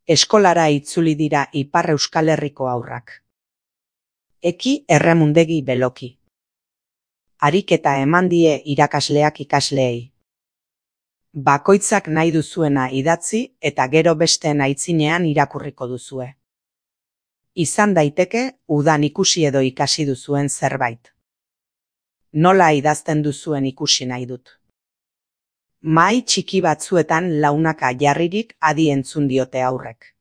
Eskolara itzuli dira Ipar Euskal Herriko haurrak. Eki erremundegi beloki. Ariketa eman die irakasleak ikasleei. Bakoitzak nahi duzuena idatzi eta gero besteen aitzinean irakurriko duzue. Izan daiteke udan ikusi edo ikasi duzuen zerbait. Nola idazten duzuen ikusi nahi dut. Mahai txiki batzuetan launaka jarririk adi entzun diote haurrek.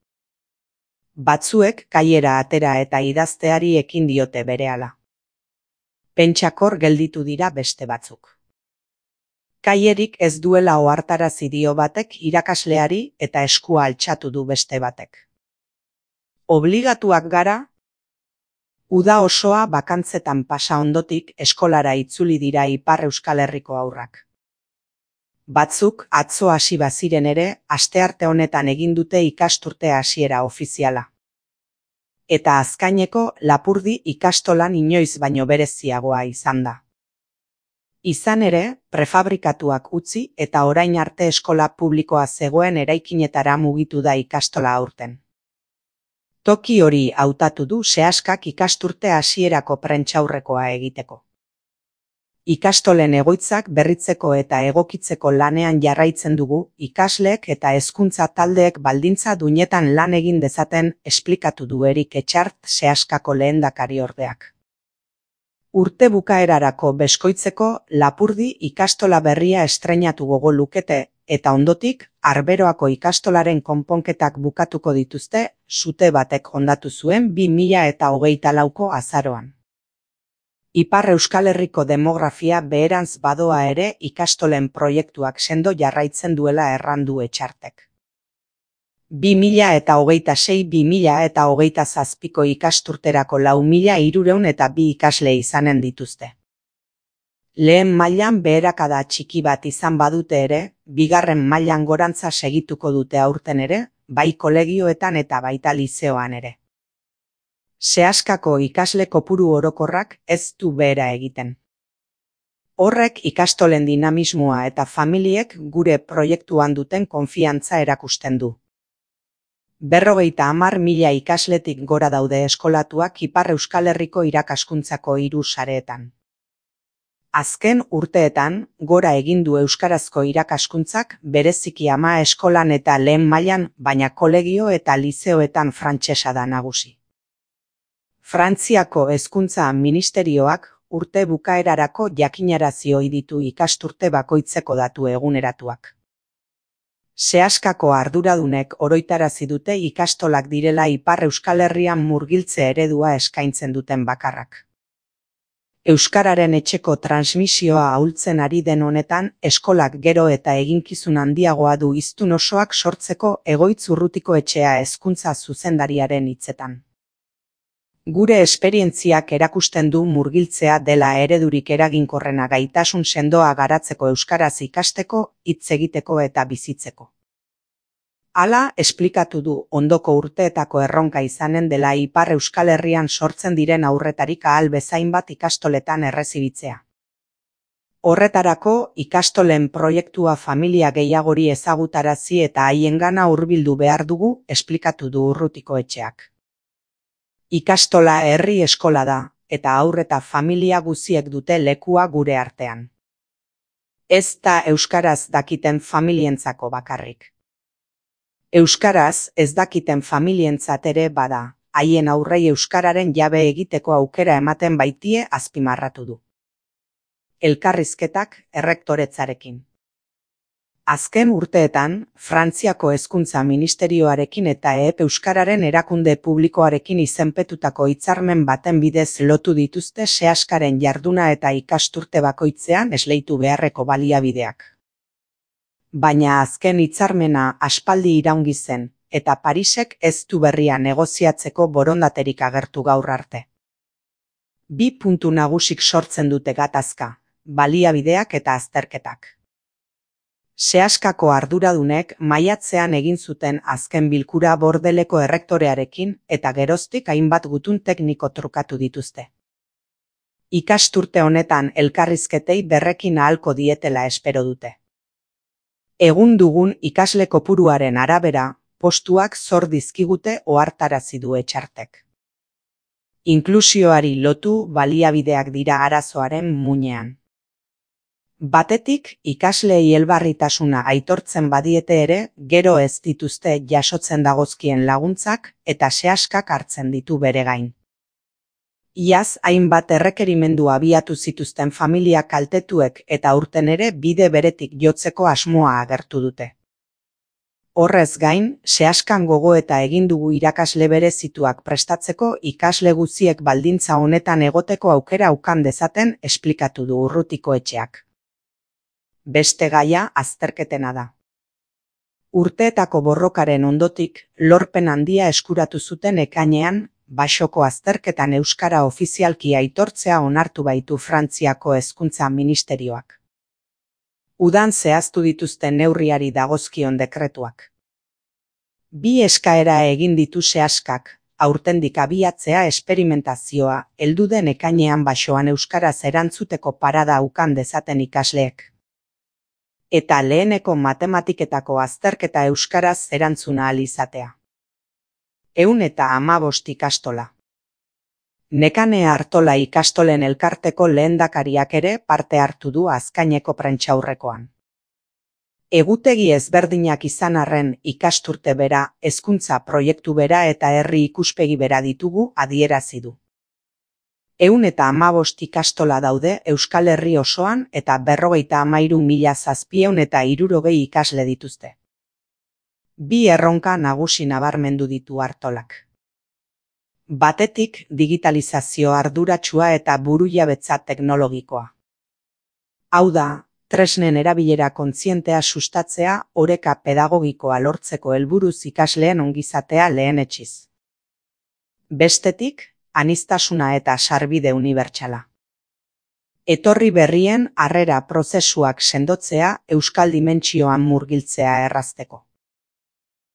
Batzuek kaiera atera eta idazteari ekin diote berehala. Pentsakor gelditu dira beste batzuk. Kaierik ez duela ohartarazi dio batek irakasleari eta eskua altxatu du beste batek. Obligatuak gara? Uda osoa bakantzetan pasa ondotik eskolara itzuli dira Ipar Euskal Herriko haurrak. Batzuk atzo hasi baziren ere, astearte honetan egin dute ikasturte hasiera ofiziala. Eta azkaineko Lapurdi ikastolan inoiz baino bereziagoa izan da. Izan ere, prefabrikatuak utzi eta orain arte eskola publikoa zegoen eraikinetara mugitu da ikastola aurten. Toki hori hautatu du Seaskak ikasturte hasierako prentsaurrekoa egiteko. Ikastolen egoitzak berritzeko eta egokitzeko lanean jarraitzen dugu, ikasleek eta hezkuntza taldeek baldintza duinetan lan egin dezaten, esplikatu du Erik Etxart Seaskako lehendakariordeak. Urte bukaerarako beskoitzeko Lapurdi ikastola berria estreinatu gogo lukete, eta ondotik, Arberoako ikastolaren konponketak bukatuko dituzte, sute batek hondatu zuen 2024ko azaroan. Ipar Euskal Herriko demografia beherantz badoa ere ikastolen proiektuak sendo jarraitzen duela errandu Etxartek. 2026-2027ko ikasturterako 4.302 ikasle izanen dituzte. Lehen mailan beherakada txiki bat izan badute ere, bigarren mailan gorantza segituko dute aurten ere, bai kolegioetan eta baita lizeoan ere. Seaskako ikasle kopuru orokorrak ez du behera egiten. Horrek ikastolen dinamismoa eta familiek gure proiektuan duten konfiantza erakusten du. 50.000 ikasletik gora daude eskolatuak Ipar Euskal Herriko irakaskuntzako 3 sareetan. Azken urteetan, gora egin du euskarazko irakaskuntzak bereziki ama eskolan eta lehen mailan, baina kolegio eta lizeoetan frantsesa da nagusi. Frantziako hezkuntza ministerioak urte bukaerarako jakinarazi ohi ditu ikasturte bakoitzeko datu eguneratuak. Seaskako arduradunek oroitarazi dute ikastolak direla Ipar Euskal Herrian murgiltze eredua eskaintzen duten bakarrak. Euskararen etxeko transmisioa ahultzen ari den honetan, eskolak gero eta eginkizun handiagoa du hiztun osoak sortzeko Egoitz Urrutiko Etxea hezkuntza zuzendariaren hitzetan. Gure esperientziak erakusten du murgiltzea dela eredurik eraginkorrena gaitasun sendoa garatzeko euskaraz ikasteko, hitz egiteko eta bizitzeko. Hala, esplikatu du ondoko urteetako erronka izanen dela Ipar Euskal Herrian sortzen diren aurretarik ahal bezain bat ikastoletan errezibitzea. Horretarako, ikastolen proiektua familia gehiagori ezagutarazi eta haiengana hurbildu behar dugu, esplikatu du Urrutiko Etxeak. Ikastola herri eskola da, eta haur eta familia guziek dute lekua gure artean. Ez da euskaraz dakiten familientzako bakarrik. Euskaraz ez dakiten familientzat ere bada, haien aurrei euskararen jabe egiteko aukera ematen baitie azpimarratu du. Elkarrizketak errektoretzarekin. Azken urteetan, Frantziako hezkuntza ministerioarekin eta euskararen erakunde publikoarekin izenpetutako hitzarmen baten bidez lotu dituzte Seaskaren jarduna eta ikasturte bakoitzean esleitu beharreko baliabideak. Baina azken hitzarmena aspaldi iraungi zen, eta Parisek ez du berria negoziatzeko borondaterik agertu gaur arte. 2 puntu nagusik sortzen dute gatazka, baliabideak eta azterketak. Seaskako arduradunek maiatzean egin zuten azken bilkura Bordeleko errektorearekin eta geroztik hainbat gutun tekniko trukatu dituzte. Ikasturte honetan elkarrizketei berrekin ahalko dietela espero dute. Egun dugun ikasle kopuruaren arabera, postuak zor dizkigute ohartarazi du Etxartek. Inklusioari lotu baliabideak dira arazoaren muinean. Batetik, ikasleei elbarritasuna aitortzen badiete ere, gero ez dituzte jasotzen dagozkien laguntzak eta sehaskak hartzen ditu bere gain. Iaz hainbat errekerimendu abiatu zituzten familia kaltetuek eta aurten ere bide beretik jotzeko asmoa agertu dute. Horrez gain, sehaskan gogoeta egin dugu irakasle berezituak prestatzeko ikasle guztiek baldintza honetan egoteko aukera ukan dezaten esplikatu du Urrutikoetxeak. Beste gaia azterketena da. Urteetako borrokaren ondotik, lorpen handia eskuratu zuten ekainean, Baxoko azterketan euskara ofizialki aitortzea onartu baitu Frantziako hezkuntza ministerioak. Udan zehaztu dituzten neurriari dagozkion dekretuak. 2 eskaera egin ditu sehaskak, aurtendik abiatzea esperimentazioa, heldu den ekainean Baxoan euskaraz erantzuteko parada ukan dezaten ikasleek. Eta leheneko matematiketako azterketa euskaraz erantzuna ahal izatea. 115 ikastola. Nekane Artola ikastolen elkarteko lehendakariak ere parte hartu du azkaineko prentsaurrekoan. Egutegi ezberdinak izan arren ikasturte bera, hezkuntza proiektu bera eta herri ikuspegi bera ditugu adierazi du. 115 ikastola daude Euskal Herri osoan eta 53.760 ikasle dituzte. 2 erronka nagusi nabarmendu ditu Artolak. Batetik, digitalizazio arduratsua eta burujabetza teknologikoa. Hau da, tresnen erabilera kontzientea sustatzea oreka pedagogikoa lortzeko helburuz ikasleen ongizatea lehenetsiz. Bestetik, aniztasuna eta sarbide unibertsala. Etorri berrien harrera prozesuak sendotzea euskal dimentsioan murgiltzea errazteko.